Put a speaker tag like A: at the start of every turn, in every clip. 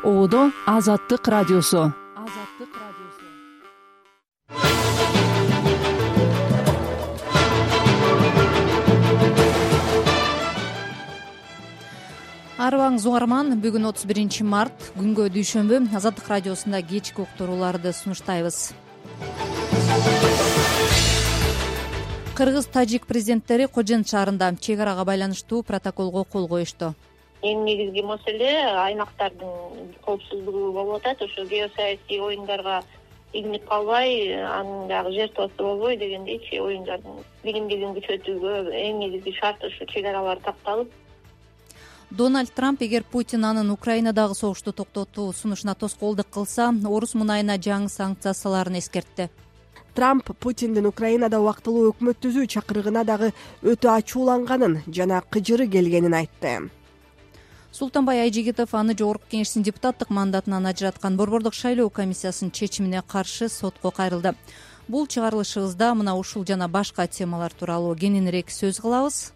A: Одо Азаттык радиосу.
B: Арыбаңыз угарман, бүгүн 31 март, күнгө дүйшөмбү. Азаттык радиосунда кечки уктурууларды сунуштайбыз. Кыргыз-тажик президенттери Кожен шаарында чек арага байланыштуу протоколго кол коюшту.
C: Эң негизги маселе аймактардын коопсуздугу болуп атат. Ошо геосаясий оюндарга игинип калбай, анын дагы жертвасы болбой дегендейчи, оюндардын биримдигин күчөтүүгө эң негизги шарт ушу чек аралар такталып.
B: Дональд Трамп эгер Путин анын Украинадагы согушту токтотуу сунушуна тоскоолдук кылса, орус мунайына жаңы санкцияларын эскертти.
D: Трамп Путиндин Украинада убактылуу өкмөт түзүү чакырыгына дагы өтө ачууланганын жана кыжыры келгенин айтты.
B: Султанбай Айжигитов аны Жогорку Кеңештин депутаттык мандатынан ажыраткан Борбордук шайлоо комиссиясынын чечимине каршы сотко кайрылды. Бул чыгарылышыбызда мына ушул жана башка темалар тууралуу кененирээк сөз кылабыз.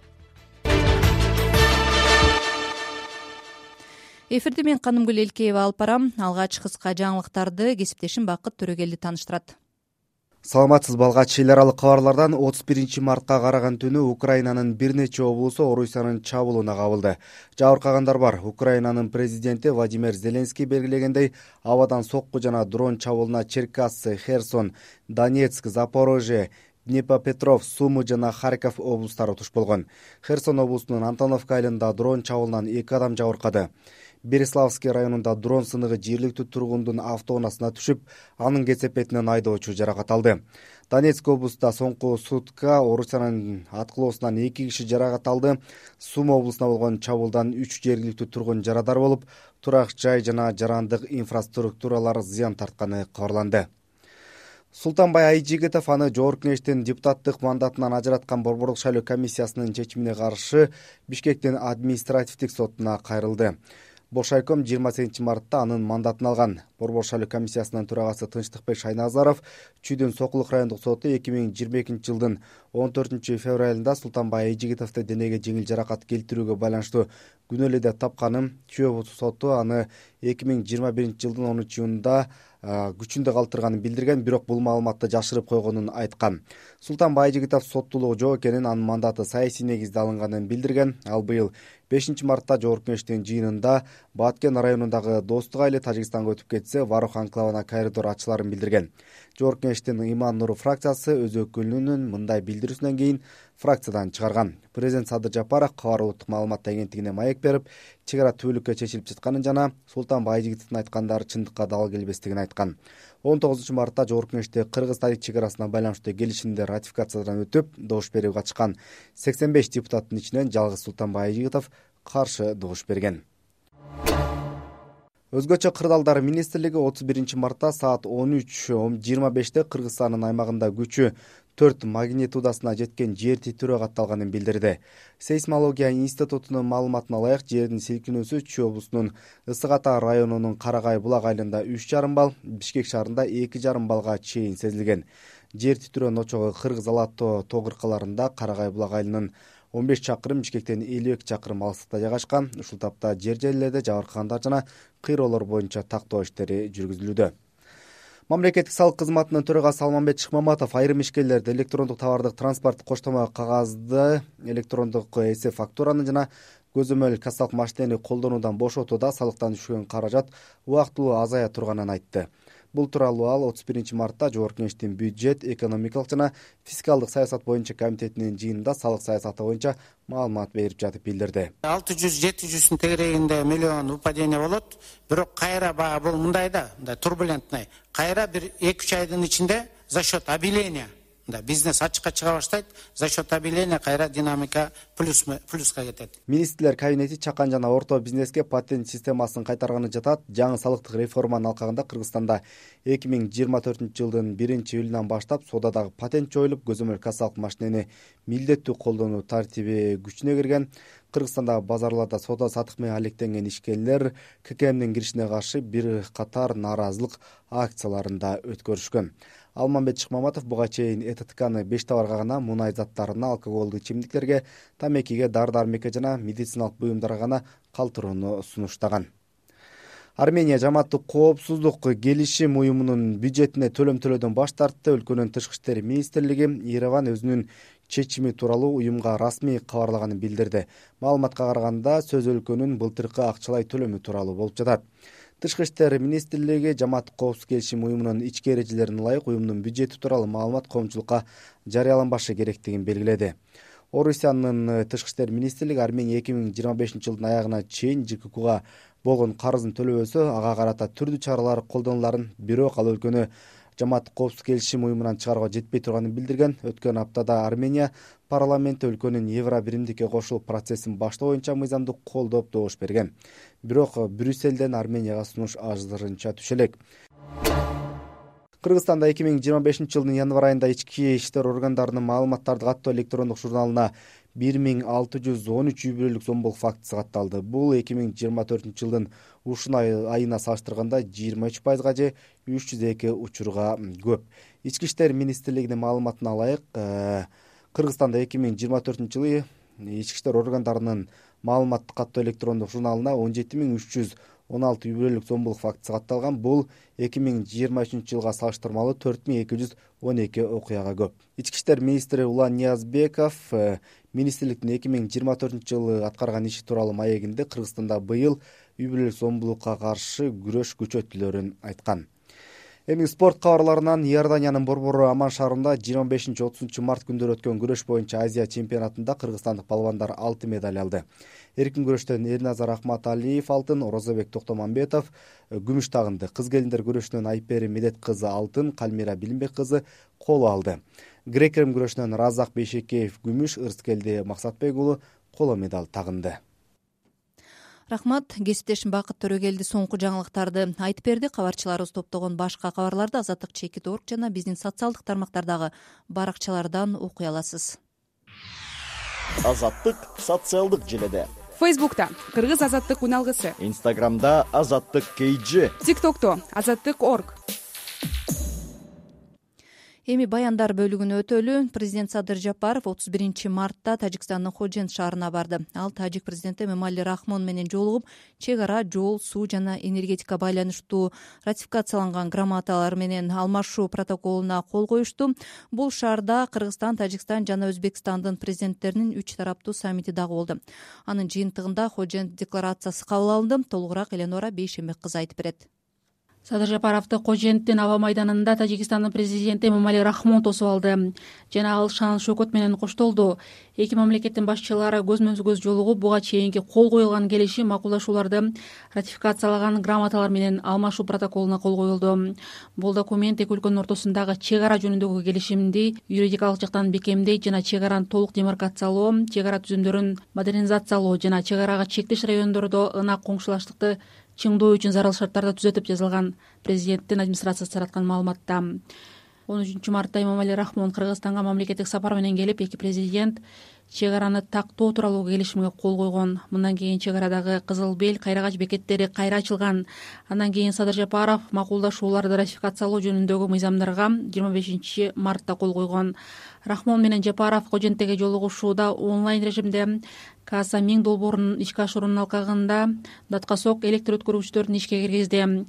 B: Эфирде мен Канымгүл Элкеева алып барам. Алгач кыска жаңылыктарды кесиптешим Бакыт Төрөгелди тааныштырат.
E: Саламатсызбы, алгач эл аралык кабарлардан 31 мартка караган түнү Украинанын бир нече облусу Орусиянын чабуулуна кабылды. Жабыркагандар бар. Украинанын президенти Владимир Зеленский белгилегендей, абадан сокку жана дрон чабуулуна Черкассы, Херсон, Донецк, Запорожье, Днепропетровск, Сумы жана Харьков облустары туш болгон. Херсон облусунун Антоновка айылында дрон чабуулунан 2 адам жабыркады. Береславский районунда дрон сыныгы жергиликтүү тургундун автоунаасына түшүп, анын кесепетинен айдоочу жаракат алды. Донецк облусунда соңку сутка Орусиянын аткылоосунан 2 киши жаракат алды. Сум облусуна болгон чабуулдан 3 жергиликтүү тургун жарадар болуп, турак жай жана жарандык инфраструктуралар зыян тартканы кабарланды. Султанбай Айжигитов аны Жогорку Кеңештин депутаттык мандатынан ажыраткан Борбордук шайлоо комиссиясынын чечимине каршы Бишкектин административдик сотуна кайрылды. Бошайком 28 мартта анын мандатын алган. Борбор шайлоо комиссиясынын төрагасы Тынчтыкбек Шайназаров Чүйдүн Сокулук райондук соту 2022 жылдын 14 февралында Султанбай Айжигитовду денеге жеңил жаракат келтирүүгө байланыштуу күнөөлүү деп тапканын, Чүй соту аны 2021 жылдын 10 июнунда күчүндө калтырганын билдирген, бирок бул маалыматты жашырып койгонун айткан. Султанбай Айжигитов соттуулугу жок экенин, анын мандаты саясий негизде алынганын билдирген. Ал быйыл 5 мартта Жогорку Кеңештин жыйынында Баткен районундагы Достук айылы Тажикстанга өтүп кетсе, Варух анклавына коридор ачыларын билдирген. Жогорку Кеңештин Иман Нуру фракциясы өз өкүлүнүн мындай билдирүүсүнөн кийин фракциядан чыгарган. Президент Садыр Жапаров Кабар улуттук маалымат агенттигине маек берип, чек ара түбөлүккө чечилип жатканын жана Султанбай Айжигитовдун айткандары чындыкка дал келбестигин айткан. 19 мартта Жогорку Кеңеште Кыргыз-Тажик чек арасына байланыштуу келишимдер ратификациядан өтүп, добуш берип катышкан 85 депутаттын ичинен жалгыз Султанбай Айжигитов каршы добуш берген. Өзгөчө кырдаалдар министрлиги 31 мартта саат 13:25 Кыргызстандын аймагында күчү 4 магнитудасына жеткен жер титирөө катталганын билдирди. Сейсмология институтунун маалыматына ылайык, жердин силкинүүсү Чүй облусунун Ысык Ата районунун Карагай булак айылында 3,5 балл, Бишкек шаарында 2,5 баллга чейин сезилген. Жер титирөөнүн очогу Кыргыз Алатоо тоо кыркаларында Карагай булак айылынын 15 чакырым, Бишкектен 52 чакырым алыстыкта жайгашкан. Ушул тапта жер жерлерде жабыркагандар жана кыйроолор боюнча тактоо иштери жүргүзүлүүдө. Мамлекеттик салык кызматынын төрагасы Алмамбет Шыкмаматов айрым ишкерлерди электрондук товардык транспорт коштомо кагазды, электрондук эсеп фактураны жана көзөмөл кассалык машинени колдонуудан бошотууда салыктан түшкөн каражат убактылуу азая турганын айтты. Бул тууралуу ал 31 мартта Жогорку Кеңештин бюджет, экономикалык жана фискалдык саясат боюнча комитетинин жыйынында салык саясаты боюнча маалымат берип жатып билдирди.
F: 600-700 тегерегинде миллион упадение болот, бирок кайра баа бул мындай турбулентный. Кайра бир 2-3 айдын ичинде за счет объявления бизнес ачыкка чыга баштайт, за счет объявления кайра динамика плюска кетет.
E: Министрлер кабинети чакан жана орто бизнеске патент системасын кайтарганы жатат. Жаңы салыктык реформанын алкагында Кыргызстанда 2024 жылдын 1-июлунан баштап соодадагы патент жоюлуп, көзөмөл кассалык машинени милдеттүү колдонуу тартиби күчүнө кирген. Кыргызстандагы базарларда соода сатык менен алектенген ишкерлер ККМдин киришине каршы бир катар нааразылык акцияларында өткөрүшкөн. Алмамбет Шыкмаматов буга чейин ЭТТКны 5 товарга гана, мунай заттарына, алкоголдук ичимдиктерге, тамекиге, дары-дармекке жана медициналык буюмдарга гана калтырууну сунуштаган. Армения жамааттык коопсуздук келишим уюмунун бюджетине төлөм төлөөдөн баш тартты. Өлкөнүн тышкы иштер министрлиги Ереван өзүнүн чечими тууралуу уюмга расмий кабарлаганын билдирди. Маалыматка караганда сөз өлкөнүн былтыркы акчалай төлөмү тууралуу болуп жатат. Тышкы иштер министрлиги жамааттык коопсуздук келишим уюмунун ички эрежелерине ылайык уюмдун бюджети тууралуу маалымат коомчулукка жарыяланбашы керектигин белгиледи. Орусиянын тышкы иштер министрлиги Армения 2025-жылдын аягына чейин ЖККга болгон карызын төлөбөсө ага карата түрдүү чаралар колдонуларын, бирок ал өлкөнү жамааттык коопсуздук келишим уюмунан чыгарууга жетпей турганын билдирген. Өткөн аптада Армения парламенти өлкөнүн Евро биримдикке кошулуу процессин баштоо боюнча мыйзамды колдоп добуш берген. Бирок Брюссельден Арменияга сунуш азырынча түшө элек. Кыргызстанда 2025-жылдын январь айында ички иштер органдарынын маалыматтарды каттоо электрондук журналына 1613 үй бүлөлүк зомбулук фактысы катталды. Бул 2024-жылдын ушул айына салыштырганда 23%-га же 302 учурга көп. Ички иштер министрлигинин маалыматына ылайык, Кыргызстанда 2024-жылы ички иштер органдарынын маалыматты каттоо электрондук журналына 17316 үй бүлөлүк зомбулук фактысы катталган. Бул 2023-жылга салыштырмалуу 4212 окуяга көп. Ички иштер министри Улан Ниязбеков министрликтин 2024-жылы аткарган иши тууралуу маегинде Кыргызстанда быйыл үй бүлөлүк зомбулукка каршы күрөш күчөтүлөрүн айткан. Эми спорт кабарларынан Иорданиянын борбору Аман шаарында 25-30 март күндөрү өткөн күрөш боюнча Азия чемпионатында кыргызстандык балбандар алтын медаль алды. Эркин күрөштөн Эрназар Ахматалиев алтын, Орозобек Токтомамбетов күмүш тагынды. Кыз келиндер күрөшүнөн Айпери Медет кызы алтын, Калмира Билимбек кызы коло алды. Грек-рим күрөшүнөн Разак Бейшекеев күмүш, Ырыскелди Максатбек уулу коло медаль тагынды.
B: Рахмат, кесиптешим Бакыт Төрөгелди соңку жаңылыктарды айтып берди. Кабарчыларыбыз топтогон башка кабарларды Азаттык Чекит.org жана биздин социалдык тармактардагы баракчалардан окуй аласыз.
G: Азаттык социалдык желеде.
H: Фейсбукта Кыргыз азаттык уналгысы,
G: Инстаграмда Азаттык KG,
H: ТикТокто Азаттык.org.
B: Эми баяндар бөлүгүнө өтөлү. Президент Садыр Жапаров 31 мартта Тажикстандын Ходжент шаарына барды. Ал тажик президенти Эмомали Рахмон менен жолугуп, чек ара, жол, суу жана энергетика байланыштуу ратификацияланган грамоталар менен алмашуу протоколуна кол коюшту. Бул шаарда Кыргызстан, Тажикстан жана Өзбекстандын президенттеринин 3 тараптуу саммити дагы болду. Анын жыйынтыгында Ходжент декларациясы кабыл алынды. Толугураак Эленора Бейшембек кызы айтып берет.
I: Садыр Жапаровду Коженттин аба майданында Тажикстандын президенти Эмомали Рахмон тосуп алды жана ал шан шөкөт менен коштолду. Эки мамлекеттин башчылары көзмө-көз жолугуп, буга чейинки кол коюлган келишим макулдашууларды ратификациялаган грамоталар менен алмашуу протоколуна кол коюлду. Бул документ эки өлкөнүн ортосундагы чек ара жөнүндөгү келишимди юридикалык жактан бекемдейт жана чек араны толук демаркациялоо, чек ара түзүмдөрүн модернизациялоо жана чек арага чектеш райондордо ынак коңшулаштыкты чыңдоо үчүн зарыл шарттарды түзөтүп жазылган. Президенттин администрациясы тараткан маалыматта 13 мартта Эмомали Рахмон Кыргызстанга мамлекеттик сапар менен келип, эки президент чек араны тактоо тууралуу келишимге кол койгон. Мындан кийин чек арадагы Кызыл Бел, Кайрагач бекеттери кайра ачылган. Андан кийин Садыр Жапаров макулдашууларды ратификациялоо жөнүндөгү мыйзамдарга 25 мартта кол койгон. Рахмон менен Жапаров Коженттеги жолугушууда онлайн режимде Каса Миң долбоорунун ишке ашыруунун алкагында Даткасок электр өткөргүчтөрүн ишке киргизди.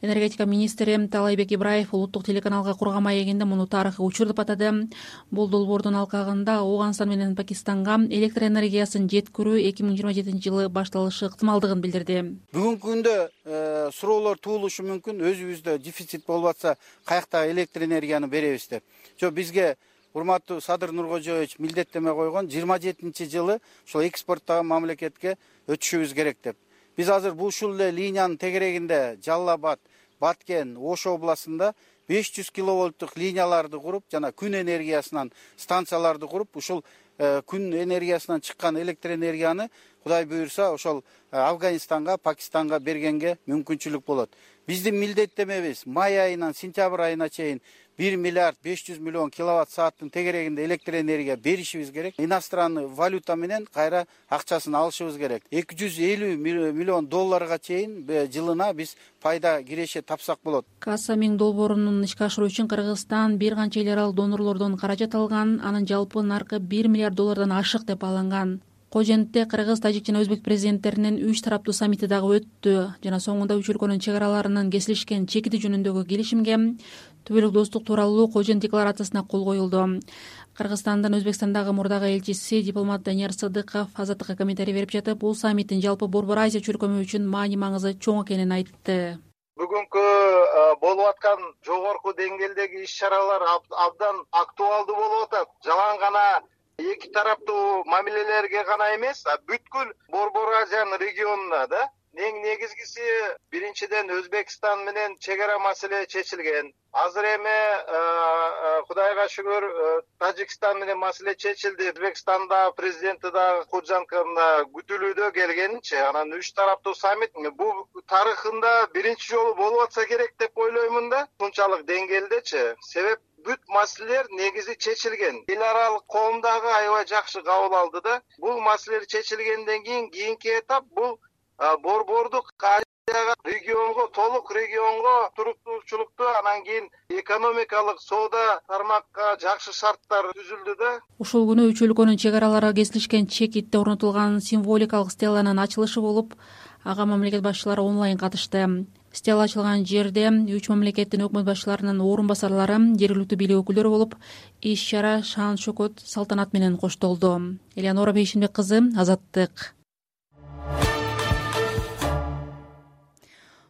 I: Энергетика министри Талайбек Ибраев улуттук телеканалга курган маегинде муну тарыхый учур деп атады. Бул долбоордун алкагында Ооганстан менен Пакистанга электр энергиясын жеткирүү 2027-жылы башталышы ыктымалдыгын билдирди.
J: Бүгүнкү күндө суроолор туулушу мүмкүн, өзүбүздө дефицит болуп атса каякта электр энергияны беребиз деп. Жок, бизге урматтуу Садыр Нуркожоевич милдеттеме койгон 27-жылы ошол экспорттогон мамлекетке өтүшүбүз керек деп. Биз азыр ушул эле линиянын тегерегинде Жалал Абад, Баткен, Ош областында 500 киловольттук линияларды куруп, жана күн энергиясынан станцияларды куруп, ушул күн энергиясынан чыккан электр энергияны Кудай буйрса ошол Афганистанга, Пакистанга бергенге мүмкүнчүлүк болот. Биздин милдеттемебиз май айынан сентябрь айына чейин 1 миллиард 500 миллион киловатт сааттын тегерегинде электр энергия беришибиз керек. Иностранный валюта менен кайра акчасын алышыбыз керек. 250 миллион долларга чейин жылына биз пайда киреше тапсак болот.
I: Каса Миң долбоорунун ишке ашыруу үчүн Кыргызстан бир канча эл аралык донорлордон каражат алган. Анын жалпы наркы 1 миллиард доллардан ашык деп бааланган. Кожентте кыргыз, тажик жана өзбек президенттеринин 3 тараптуу саммити дагы өттү жана соңунда үч өлкөнүн чек араларынын кесилишкен чекити жөнүндөгү келишимге түбөлүк достук тууралуу Кожент декларациясына кол коюлду. Кыргызстандын Өзбекстандагы мурдагы элчиси дипломат Данияр Сыдыков Азаттыкка комментарий берип жатып, бул саммиттин жалпы Борбор Азия чөлкөмү үчүн маани-маңызы чоң экенин айтты.
K: Бүгүнкү болуп аткан жогорку деңгээлдеги иш-чаралар абдан актуалдуу болуп атат. Жалаң гана эки тараптуу мамилелерге гана эмес, бүткүл Борбор Азиянын регионуна да. Эң негизгиси биринчиден Өзбекстан менен чек ара маселе чечилген. Азыр эми Кудайга шүгүр Тажикстан менен маселе чечилди. Өзбекстанда президенти да Куджанкана күтүлүүдө келгенинчи. Анан 3 тараптуу саммит бул тарыхында биринчи жолу болуп атса керек деп ойлоймун да. Мынчалык деңгээлдечи. Себеп бүт маселелер негизи чечилген. Эл аралык коом дагы аябай жакшы кабыл алды да. Бул маселелер чечилгенден кийинки этап бул борбордук регионго, толук регионго туруктуулукту, анан кийин экономикалык соода тармакка жакшы шарттар түзүлдү да.
I: Ушул күнү үч өлкөнүн чек аралары кесилишкен чекитте орнотулган символикалык стеланын ачылышы болуп, ага мамлекет башчылары онлайн катышты. Стела ачылган жерде үч мамлекеттин өкмөт башчыларынын орун басарлары, жергиликтүү бийлик өкүлдөрү болуп, иш-чара шан-шөкөт салтанат менен коштолду. Элеонора Бейшимбек кызы, Азаттык.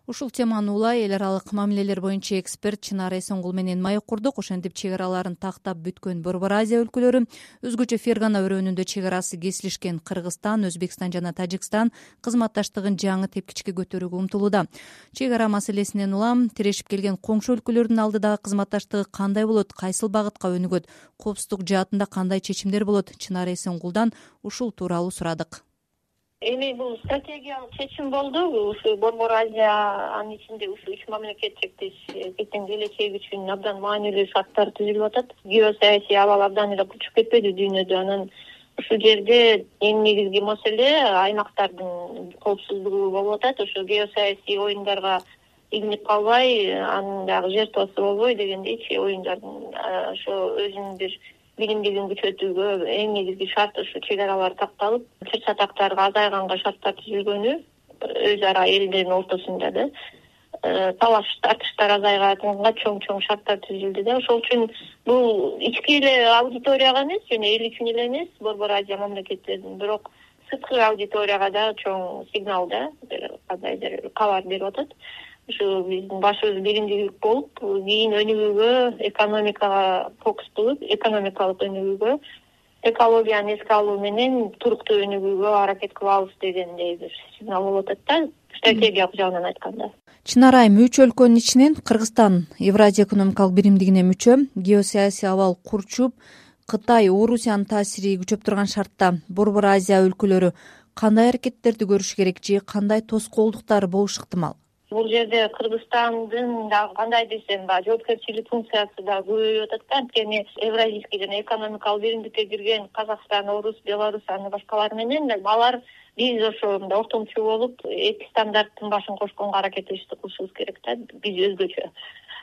B: Ушул теманы улай эл аралык мамилелер боюнча эксперт Чынар Эсенгул менен маек курдук. Ошентип чек араларын тактап бүткөн Борбор Азия өлкөлөрү, өзгөчө Фергана өрөөнүндө чек арасы кесилишкен Кыргызстан, Өзбекстан жана Тажикстан кызматташтыгын жаңы тепкичке көтөрүүгө умтулууда. Чек ара маселесинен улам тирешип келген коңшу өлкөлөрдүн алдыдагы кызматташтыгы кандай болот, кайсыл багытка өнүгөт, коопсуздук жаатында кандай чечимдер болот? Чынар Эсенгулдан ушул тууралуу сурадык.
C: Эми бул стратегиялык чечим болду. Ушу Борбор Азия анын ичинде ушу 3 мамлекет чектешиктин келечеги үчүн абдан маанилүү шарттар түзүлүп атат. Геосаясий абал абдан эле курчуп кетпеди дүйнөдө. Анан ушул жерде эң негизги маселе аймактардын коопсуздугу болуп атат. Ошо геосаясий оюндарга игинип калбай, анын дагы жертвасы болбой дегендейчи, оюндардын ошо өзүнүн бир билимдигин күчөтүүгө эң негизги шарт ушу чек аралар такталып, чыр-чатактарга азайганга шарттар түзүлгөнү, өз ара элдердин ортосунда да талаш тартыштар азайганга чоң шарттар түзүлдү да. Ошол үчүн бул ички эле аудиторияга эмес, жана эл үчүн эле эмес, Борбор Азия мамлекеттеринин, бирок сырткы аудиторияга да чоң сигнал да, кандайдыр кабар берип атат. Ушу биздин башыбыз биримдүү болуп, кийин өнүгүүгө, экономикага фокус кылып, экономикалык өнүгүүгө, экологияны эске алуу менен туруктуу өнүгүүгө аракет кылабыз дегендей бир сигнал болуп атат да, стратегиялык жагынан айтканда.
B: Чынар айым, 3 өлкөнүн ичинен Кыргызстан Евразия экономикалык биримдигине мүчө, геосаясий абал курчуп, Кытай, Орусиянын таасири күчөп турган шартта Борбор Азия өлкөлөрү кандай аракеттерди көрүш керек же кандай тоскоолдуктар болушу ыктымал?
C: Бул жерде Кыргызстандын дагы кандай десем, жоопкерчилик функциясы да көбөйүп атат да. Анткени Евразийский жана экономикалык биримдикке кирген Казакстан, Орус, Беларусь, аны башкалар менен алар биз ошо ортомчу болуп, эки стандарттын башын кошконго аракет кылышыбыз керек да, биз өзгөчө.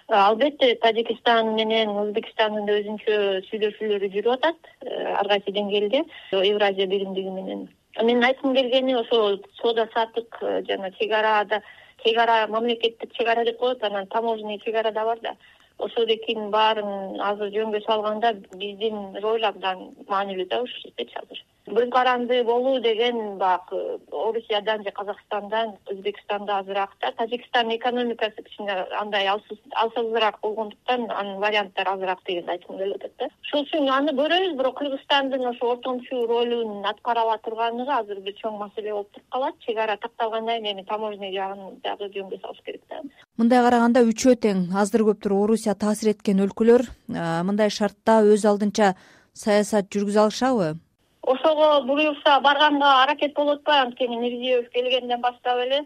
C: Албетте Тажикстан менен Өзбекстандын да өзүнчө сүйлөшүүлөрү жүрүп атат, ар кайсы деңгээлде Евразия биримдиги менен. Менин айткым келгени ошо соода саттык жана чек ара мамлекеттик чек ара деп коет, анан таможенный чек ара да бар да. Ошолдукинин баарын азыр жөнгө салганда биздин роль абдан маанилүү да ушул жердечи азыр. Көз каранды болуу деген баягы Орусиядан же Казакстандан, Өзбекстанда азыраак да. Тажикстан экономикасы кичине андай алсызыраак болгондуктан анын варианттары азыраак дегенди айткым келип атат да. Ошол үчүн аны көрөбүз, бирок Кыргызстандын ошо ортомчу ролун аткара ала турганлыгы азыр бир чоң маселе болуп туруп калат. Чек ара такталгандан кийин эми таможенный жагын дагы жөнгө салыш керек да.
B: Мындай караганда үчөө тең, аздыр көптүр Орусия таасир эткен өлкөлөр мындай шартта өз алдынча саясат жүргүзө алышабы?
C: Ошого буюрса барганга аракет болуп атпайбы? Анткени Мирзиёев келгенден баштап эле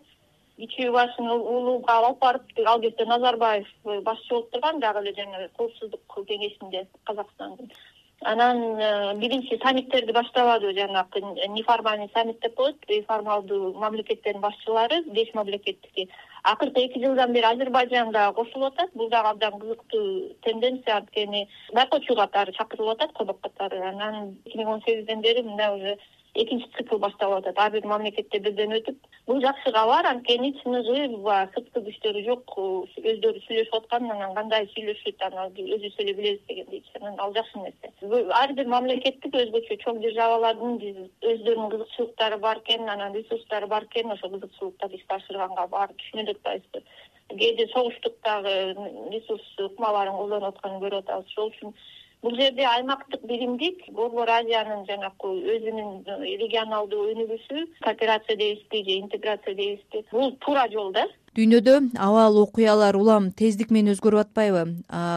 C: ичүү башын улууга алып барып, ал кезде Назарбаев башчы болуп турган, дагы эле жана коопсуздук кеңешинде Казакстандын. Анан биринчи саммиттерди баштабады, жанагы неформальный саммит деп коет, формалдуу мамлекеттердин башчылары, 5 мамлекеттики. Акыркы 2 жылдан бери Азербайжан да кошулуп атат. Бул дагы абдан кызыктуу тенденция, анткени байкоочу катары чакырылып атат, конок катары. Анан 2018ден бери мына уже экинчи цикл башталып атат. Ар бир мамлекетте бирден өтүп, бул жакшы кабар. Анткени чыныгы сырткы күчтөрү жок, өздөрү сүйлөшүп аткан, анан кандай сүйлөшүт, анан өзүбүз эле билебиз дегендейчи. Анан ал жакшы нерсе. Ар бир мамлекеттик өзгөчө чоң державалардын өздөрүнүн кызыкчылыктары бар экен, анан ресурстары бар экен. Ошол кызыкчылыктарды ишке ашырганга баары түшүнө деп атабыз. Кээде согуштуктагы ресурс ыкмаларын колдонуп атканын көрүп атабыз. Ошол үчүн бул жерде аймактык биримдик, Борбор Азиянын жанагы өзүнүн регионалдуу өнүгүүсү, кооперация дейбизби же интеграция дейбизби, бул туура жол да.
B: Дүйнөдө абал окуялар улам тездик менен өзгөрүп атпайбы?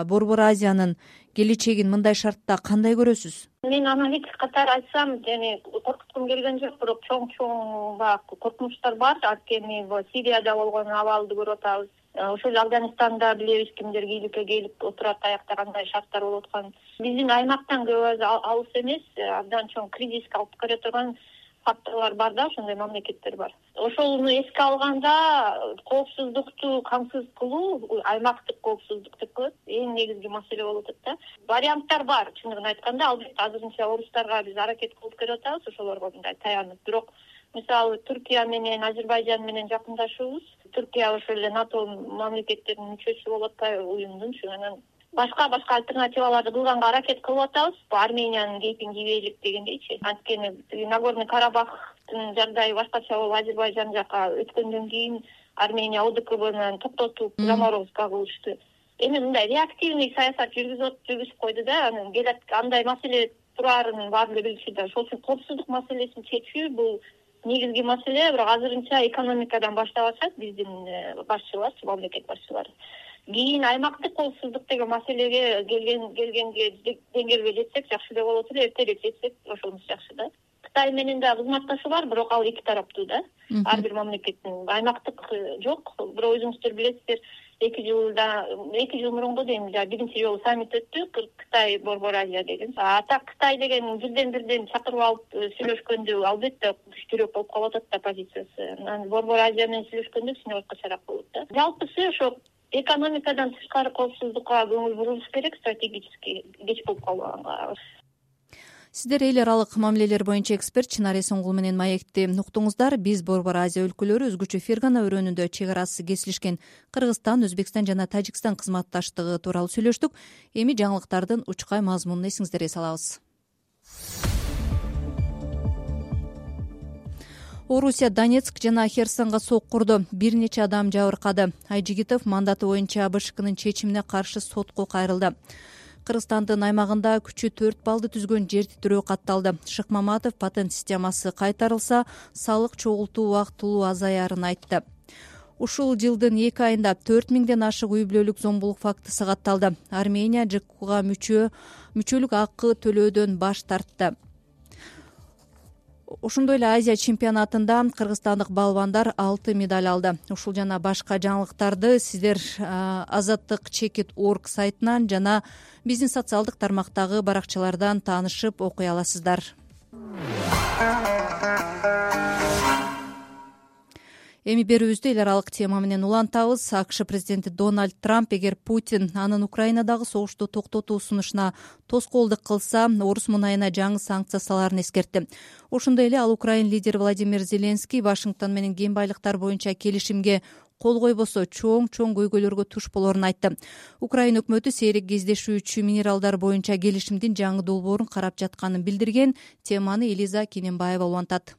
B: Борбор Азиянын келечегин мындай шартта кандай көрөсүз?
C: Мен аналитик катары айтсам, коркуткум келген жок, бирок чоң баягы коркунучтар бар. Анткени Сирияда болгон абалды көрүп атабыз. Ошол эле Афганистанда билебиз кимдер кийликке келип отурат, аякта кандай шарттар болуп атканын. Биздин аймактан көп алыс эмес, абдан чоң кризиске алып келе турган факторлор бар да, ошондой мамлекеттер бар. Ошону эске алганда коопсуздукту камсыз кылуу, аймактык коопсуздук деп коет, эң негизги маселе болуп атат да. Варианттар бар, чындыгын айтканда, албетте азырынча орустарга биз аракет кылып келип атабыз, ошолорго мындай таянып. Бирок мисалы Түркия менен Азербайжан менен жакындашуубуз. Түркия ошол эле НАТО мамлекеттеринин мүчөсү болуп атпайбы уюмдун, анан башка альтернативаларды кылганга аракет кылып атабыз. Армениянын кейпин кийбейлик дегендейчи. Анткени Нагорный Карабахтын жагдайы башкача болуп, Азербайжан жака өткөндөн кийин Армения ОДКБны токтотуп, заморозка кылышты. Эми мындай реактивный саясат жүргүзүп койду да, анан келет андай маселе турарын баары эле билчү да. Ошол үчүн коопсуздук маселесин чечүү бул негизги маселе. Бирок азырынча экономикадан баштап атышат биздин башчылар, мамлекет башчылары. Кийин аймактык коопсуздук деген маселеге келгенге деңгээлге жетсек жакшы эле болот эле, эртерээк жетсек ошонусу жакшы да. Кытай менен да кызматташуу бар, бирок ал эки тараптуу да. Ар бир мамлекеттин аймактык жок. Бирок өзүңүздөр билесиздер, 2 жыл мурунку дейм, биринчи жолу саммит өттү, Кытай Борбор Азия деген. Так Кытай деген бирден чакырып алып сүйлөшкөндө албетте күчтүүрөөк болуп калып атат да позициясы. Анан Борбор Азия менен сүйлөшкөндө кичине башкачараак болот да. Жалпысы ошо экономикадан тышкары коопсуздукка көңүл бурулуш керек, стратегически кеч болуп калганга.
B: Сиздер эл аралык мамилелер боюнча эксперт Чынар Эсенгул менен маекти уктуңуздар. Биз Борбор Азия өлкөлөрү өзгөчө Фергана өрөөнүндө чек арасы кесилишкен Кыргызстан, Өзбекстан жана Тажикстан кызматташтыгы тууралуу сүйлөштүк. Эми жаңылыктардын учкай мазмунун эсиңиздерге салабыз. Орусия Донецк жана Херсонго сок курду. Бир нече адам жабыркады. Айжигитов мандаты боюнча АБШКнын чечимине каршы сотко кайрылды. Кыргызстандын аймагында күчү 4 баллды түзгөн жер титирөө катталды. Шыкмаматов патент системасы кайтарылса, салык чогултуу убактылуу азаярын айтты. Ушул жылдын 2 айында 4000ден ашык үй бүлөлүк зомбулук фактысы катталды. Армения ЖКУга мүчөлүк акы төлөөдөн баш тартты. Ошондой эле Азия чемпионатында кыргызстандык балбандар 6 медаль алды. Ушул жана башка жаңылыктарды сиздер azattik.org сайтынан жана биздин социалдык тармактагы баракчалардан таанышып окуй аласыздар. Эми берүүбүздү эл аралык тема менен улантабыз. АКШ президенти Дональд Трамп эгер Путин анын Украинадагы согушту токтотуу сунушуна тоскоолдук кылса, орус мунайына жаңы санкция салаарын эскертти. Ошондой эле ал Украин лидери Владимир Зеленский Вашингтон менен кен байлыктар боюнча келишимге кол койбосо чоң көйгөйлөргө туш болорун айтты. Украин өкмөтү сейрек кездешүүчү минералдар боюнча келишимдин жаңы долбоорун карап жатканын билдирген. Теманы Элиза Кененбаева улантат.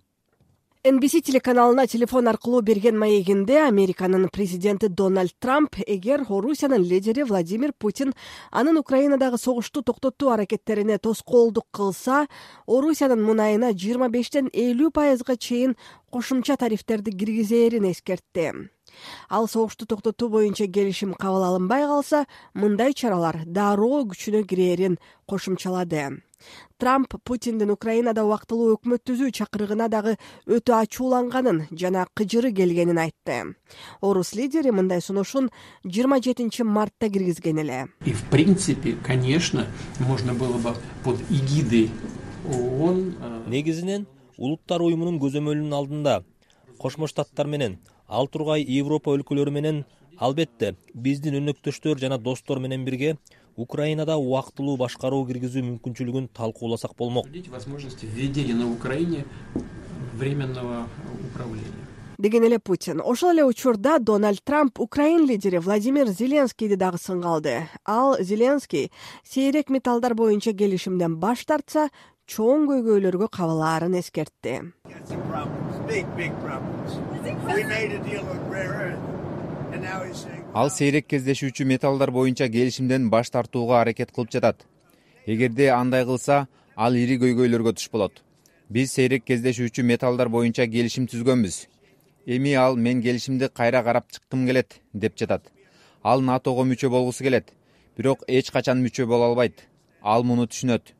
D: NBC телеканалына телефон аркылуу берген маегинде Американын президенти Дональд Трамп эгер Орусиянын лидери Владимир Путин анын Украинадагы согушту токтотуу аракеттерине тоскоолдук кылса, Орусиянын мунайына 25ден 50% чейин кошумча тарифтерди киргизээрин эскертти. Ал согушту токтотуу боюнча келишим кабыл алынбай калса, мындай чаралар дароо күчүнө кирээрин кошумчалады. Трамп Путиндин Украинада убактылуу өкмөт түзүү чакырыгына дагы өтө ачууланганын жана кыжыры келгенин айтты. Орус лидери мындай сунушун 27 мартта киргизген эле.
L: И в принципе, конечно, можно было бы под эгидой ООН.
M: Негизинен улуттар уюмунун көзөмөлүнүн алдында Кошмо Штаттар менен ал тургай Европа өлкөлөрү менен албетте биздин өнөктөштөр жана достор менен бирге Украинада убактылуу башкаруу киргизүү мүмкүнчүлүгүн талкууласак болмок.
L: Возможности введения на Украине временного управления.
D: Деген эле Путин. Ошол эле учурда Дональд Трамп Украин лидери Владимир Зеленскийди дагы сынга алды. Ал Зеленский сейрек металлдар боюнча келишимден баш тартса, чоң көйгөйлөргө кабылаарын эскертти.
N: Ал сейрек кездешүүчү металлдар боюнча келишимден баш тартууга аракет кылып жатат. Эгерде андай кылса, ал ири көйгөйлөргө туш болот. Биз сейрек кездешүүчү металлдар боюнча келишим түзгөнбүз. Эми ал мен келишимди кайра карап чыккым келет деп жатат. Ал НАТОго мүчө болгусу келет, бирок эч качан мүчө боло албайт. Ал муну түшүнөт.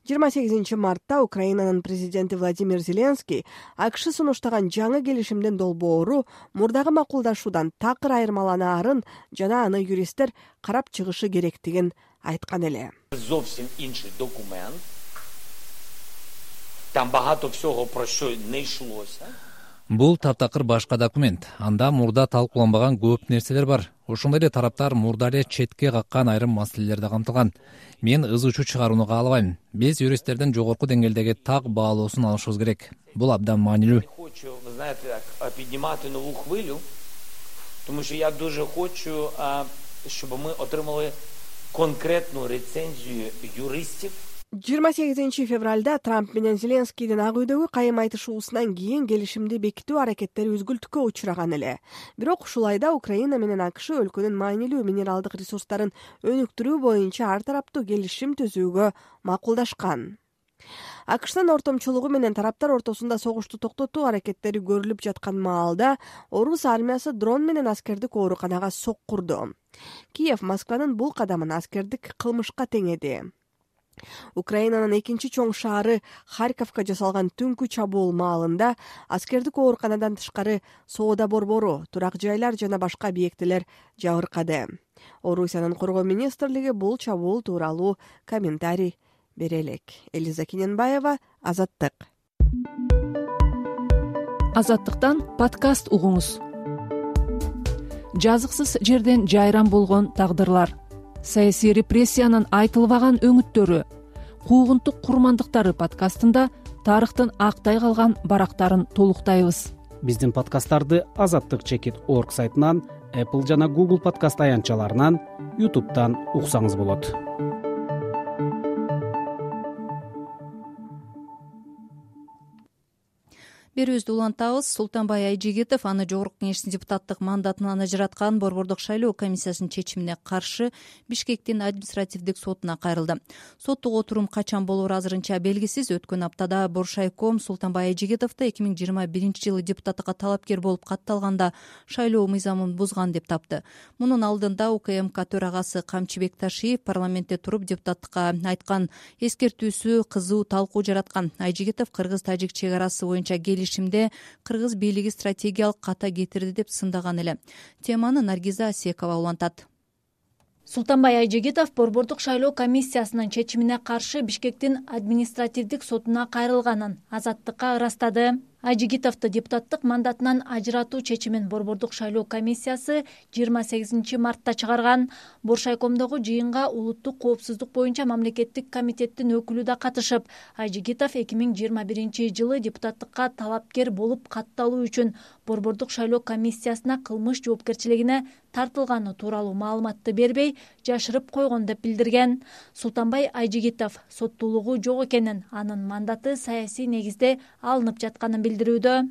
D: 28 мартта Украинанын президенти Владимир Зеленский АКШ сунуштаган жаңы келишимдин долбоору мурдагы макулдашуудан такыр айырмаланаарын жана аны юристтер карап чыгышы керектигин айткан эле.
O: Зовсім інший документ. Там багато всього про що не йшлося.
P: Бул таптакыр башка документ. Анда мурда талкууланбаган көп нерселер бар. Ошондой эле тараптар мурда эле четке каккан айрым маселелер да камтылган. Мен ыз учу чыгарууну каалабайм. Биз юристтердин жогорку деңгээлдеги так баалоосун алышыбыз керек. Бул абдан маанилүү.
O: Хочу, ви знаєте, піднімати нову хвилю, тому що я дуже хочу, щоб ми отримали конкретну рецензію юристів.
D: 28 февралда Трамп менен Зеленскийдин Ак үйдөгү кайым айтышуусунан кийин келишимди бекитүү аракеттери үзгүлтүккө учураган эле. Бирок ушул айда Украина менен АКШ өлкөнүн маанилүү минералдык ресурстарын өнүктүрүү боюнча ар тараптуу келишим түзүүгө макулдашкан. АКШнын ортомчулугу менен тараптар ортосунда согушту токтотуу аракеттери көрүлүп жаткан маалда орус армиясы дрон менен аскердик ооруканага соккурду. Киев Москванын бул кадамын аскердик кылмышка теңеди. Украинанын экинчи чоң шаары Харьковко жасалган түнкү чабуул маалында аскердик ооруканадан тышкары соода борбору, турак жайлар жана башка объектилер жабыркады. Орусиянын коргоо министрлиги бул чабуул тууралуу комментарий бере элек. Элиза Кененбаева, Азаттык.
A: Азаттыктан подкаст угуңуз. Жазыксыз жерден жайран болгон тагдырлар, саясий репрессиянын айтылбаган өңүттөрү, куугунтук курмандыктары подкастында тарыхтын актай калган барактарын толуктайбыз.
Q: Биздин подкасттарды azattik.org сайтынан, Apple жана Google подкаст аянтчаларынан, YouTube'дан уксаңыз болот.
B: Берүүбүздү улантабыз. Султанбай Айжигитов аны жогорку кеңештин депутаттык мандатынан ажыраткан Борбордук шайлоо комиссиясынын чечимине каршы Бишкектин административдик сотуна кайрылды. Соттук отурум качан болору азырынча белгисиз. Өткөн аптада Боршайком Султанбай Айжигитовду 2021-жылы депутаттыкка талапкер болуп катталганда шайлоо мыйзамын бузган деп тапты. Мунун алдында УКМК төрагасы Камчыбек Ташиев парламентте туруп депутаттыкка айткан эскертүүсү кызуу талкуу жараткан. Айжигитов кыргыз-тажик чек арасы боюнча келишимде кыргыз бийлиги стратегиялык ката кетирди деп сындаган эле. Теманы Наргиза Асекова улантат.
R: Султанбай Айжигитов Борбордук шайлоо комиссиясынын чечимине каршы Бишкектин административдик сотуна кайрылганын Азаттыкка ырастады. Айжигитовду депутаттык мандатынан ажыратуу чечимин Борбордук шайлоо комиссиясы 28 мартта чыгарган. Боршайкомдогу жыйынга улуттук коопсуздук боюнча мамлекеттик комитеттин өкүлү да катышып, Айжигитов 2021-жылы депутаттыкка талапкер болуп катталуу үчүн Борбордук шайлоо комиссиясына кылмыш жоопкерчилигине тартылганы тууралуу маалыматты бербей, жашырып койгон деп билдирген. Султанбай Айжигитов соттуулугу жок экенин, анын мандаты саясий негизде алынып жатканын билдирүүдө.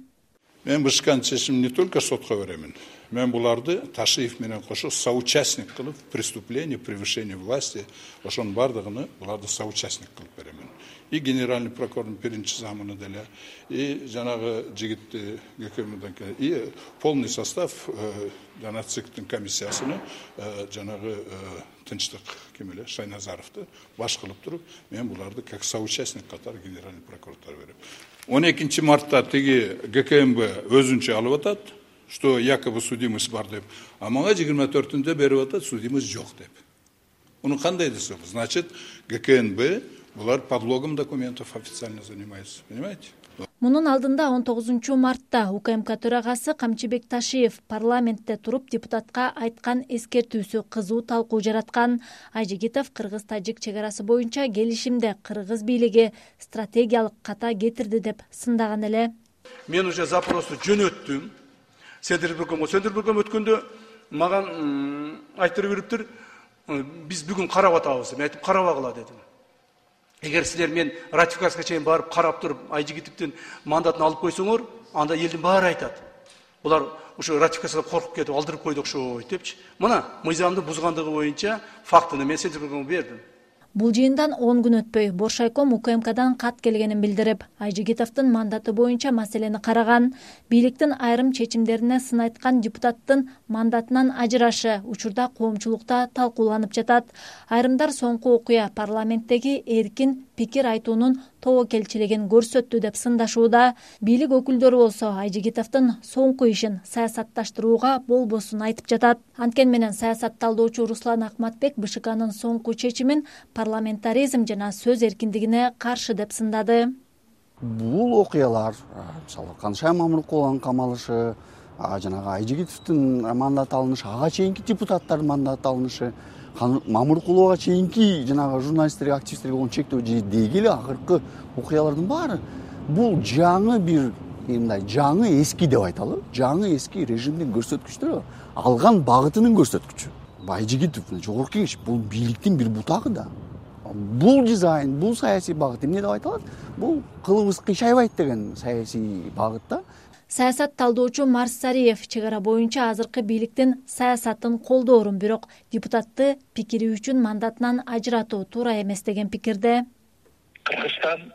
S: Мен бышкан чечимди не только сотко беремин. Мен буларды Ташиев менен кошо соучастник кылып, преступление, превышение власти, ошонун бардыгын буларды соучастник кылып беремин. И генеральный прокурордун биринчи замыны деле, и жанагы жигитти ГКМден, и полный состав жана ЦИКтин комиссиясыны жанагы тынчтык кемеле Шайназаровду баш кылып туруп, мен буларды как соучастник катары генеральный прокурордор берем. 12 мартта тиги ГКМБ өзүнчө алып атат, что якобы судимость бар деп, а мага 24-түндө берип атат, судимость жок деп. Уну кандай десек, значит, ГКНБ Булар подлогом документов официально занимаются, понимаете?
R: Мунун алдында 19 мартта УКМК төрагасы Камчыбек Ташиев парламентте туруп депутатка айткан эскертүүсү кызуу талкуу жараткан. Айжигитов кыргыз-тажик чек арасы боюнча келишимде кыргыз бийлиги стратегиялык ката кетирди деп сындаган эле.
T: Мен уже запросу жөнөттүм. Сөндүрбөгөм өткөндө маган айтып бериптир. Биз бүгүн карап атабыз. Мен айтып карабагыла дедим. Эгер силер мен ратификацияга чейин барып карап туруп Айжигитовдун мандатын алып койсоңор, анда элдин баары айтат. Булар ушу ратификациядан коркуп кетип алдырып койду окшойт депчи. Мына мыйзамды бузгандыгы боюнча фактыны мен Сөндүрбөгөмгө бердим.
R: Бул жыйындан 10 күн өтпөй Боршайком УКМКдан кат келгенин билдирип, Айжигитовдун мандаты боюнча маселени караган. Бийликтин айрым чечимдерине сын айткан депутаттын мандатынан ажырашы учурда коомчулукта талкууланып жатат. Айрымдар соңку окуя парламенттеги эркин пикир айтуунун тобокелчилигин көрсөттү деп сындашууда. Бийлик өкүлдөрү болсо Айжигитовдун соңку ишин саясатташтырууга болбосун айтып жатат. Анткени менен саясат талдоочу Руслан Акматбек БШКнын соңку чечимин парламентаризм жана сөз эркиндигине каршы деп сындады.
U: Бул окуялар, мисалы Канышай Мамыркуловдун камалышы, жанагы Айжигитовдун мандаты алынышы, ага чейинки депутаттардын мандаты алынышы, Мамыркуловго чейинки жанагы журналисттерге, активисттерге болгон чектөө деги эле акыркы окуялардын баары бул жаңы бир жаңы эски деп айталы, жаңы эски режимдин көрсөткүчтөрү, алган багытынын көрсөткүчү. Айжигитов жогорку кеңеш бул бийликтин бир бутагы да. Бул дизайн, бул саясий багыт эмне деп айталат? Бул кылыбыз кыйшайбайт деген саясий багытта.
R: Саясат талдоочу Марс Сариев чек ара боюнча азыркы бийликтин саясатын колдоорун, бирок депутатты пикири үчүн мандатынан ажыратуу туура эмес деген пикирде.
V: Кыргызстан,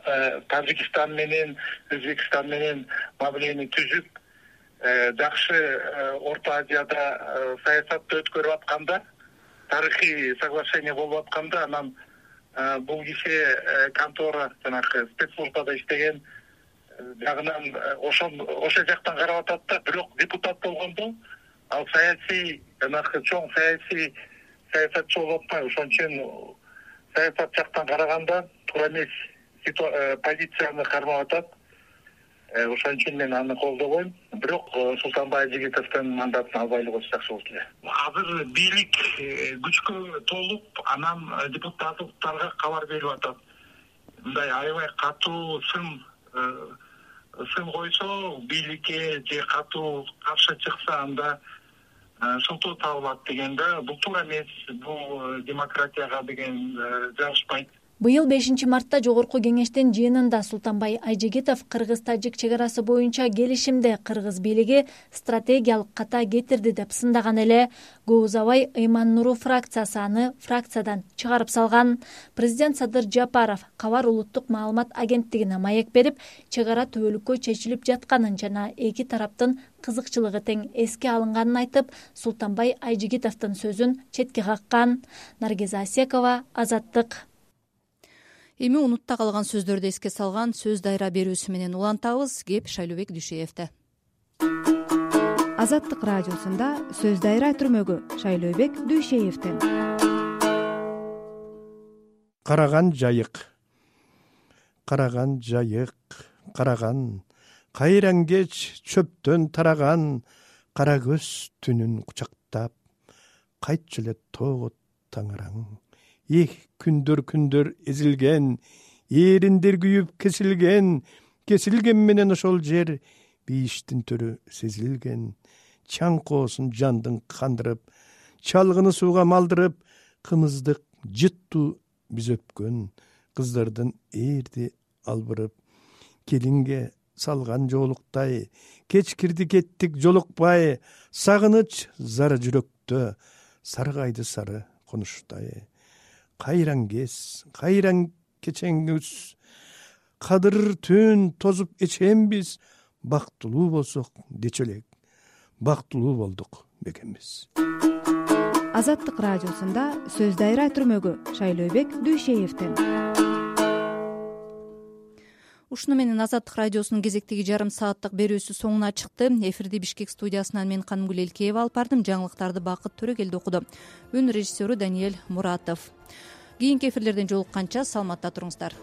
V: Тажикстан менен, Өзбекстан менен мамилени түзүп, жакшы Орто Азияда саясатты өткөрүп атканда, тарыхый соглашение болуп атканда, анан бул киши контора жанагы спецслужбада иштеген жагынан ошол жактан карап атат да, бирок депутат болгондо ал саясий жанагы чоң саясий саясатчы болуп атпайбы, ошон үчүн саясат жактан караганда туура эмес позицияны кармап атат. Ошон үчүн мен аны колдобойм. Бирок Султанбай Айжигитовдун мандатын албайлы койсо жакшы болот эле. Азыр бийлик күчкө толуп, анан депутаттарга кабар берип атат. Мындай аябай катуу сын койсо, бийликке же катуу каршы чыкса, анда шылтоо табылат дегенде, бул туура эмес, бул демократияга деген жагышпайт.
R: Быйыл 5 мартта жогорку кеңештин жыйынында Султанбай Айжигитов кыргыз-тажик чек арасы боюнча келишимде кыргыз бийлиги стратегиялык ката кетирди деп сындаган эле. Көп узабай Ыйман Нуру фракциясы аны фракциядан чыгарып салган. Президент Садыр Жапаров Кабар улуттук маалымат агенттигине маек берип, чек ара түбөлүккө чечилип жатканын жана эки тараптын кызыкчылыгы тең эске алынганын айтып, Султанбай Айжигитовдун сөзүн четке каккан. Наргиза Асекова, Азаттык.
B: Эми унутта калган сөздөрдү эске салган сөз дайра берүүсү менен улантабыз. Кеп Шайлообек Дүйшеевде.
W: Азаттык радиосунда сөз дайра түрмөгү Шайлообек Дүйшеевден.
X: Караган жайык, караган жайык, караган, кайраң кеч чөптөн тараган, кара көз түнүн кучактап, кайтчу эле тоого таңараң. Күндөр эзилген, эриндер күйүп кесилген менен ошол жер бийиштин төрү сезилген. Чаңкоосун жандын кандырып, чалгыны сууга малдырып, кымыздык жыттуу биз өпкөн, кыздардын эрди албырып, келинге салган жоолуктай, кеч кирди кеттик жолукпай, сагыныч зары жүрөктө, саргайды сары конуштай. Кайраң кез, кайраң кечеңүз, кадыр түн тозуп эчембиз, бактылуу болсок дечү элек, бактылуу болдук бекембиз.
W: Азаттык радиосунда сөз дайра түрмөгү Шайлообек Дүйшеевден.
B: Ушуну менен Азаттык радиосунун кезектеги жарым сааттык берүүсү соңуна чыкты. Эфирди Бишкек студиясынан мен Канымгүл Элкеева алып бардым. Жаңылыктарды Бакыт Төрөгелди окуду. Үн режиссеру Даниэль Муратов. кийинки эфирлерден жолукканча саламатта туруңуздар.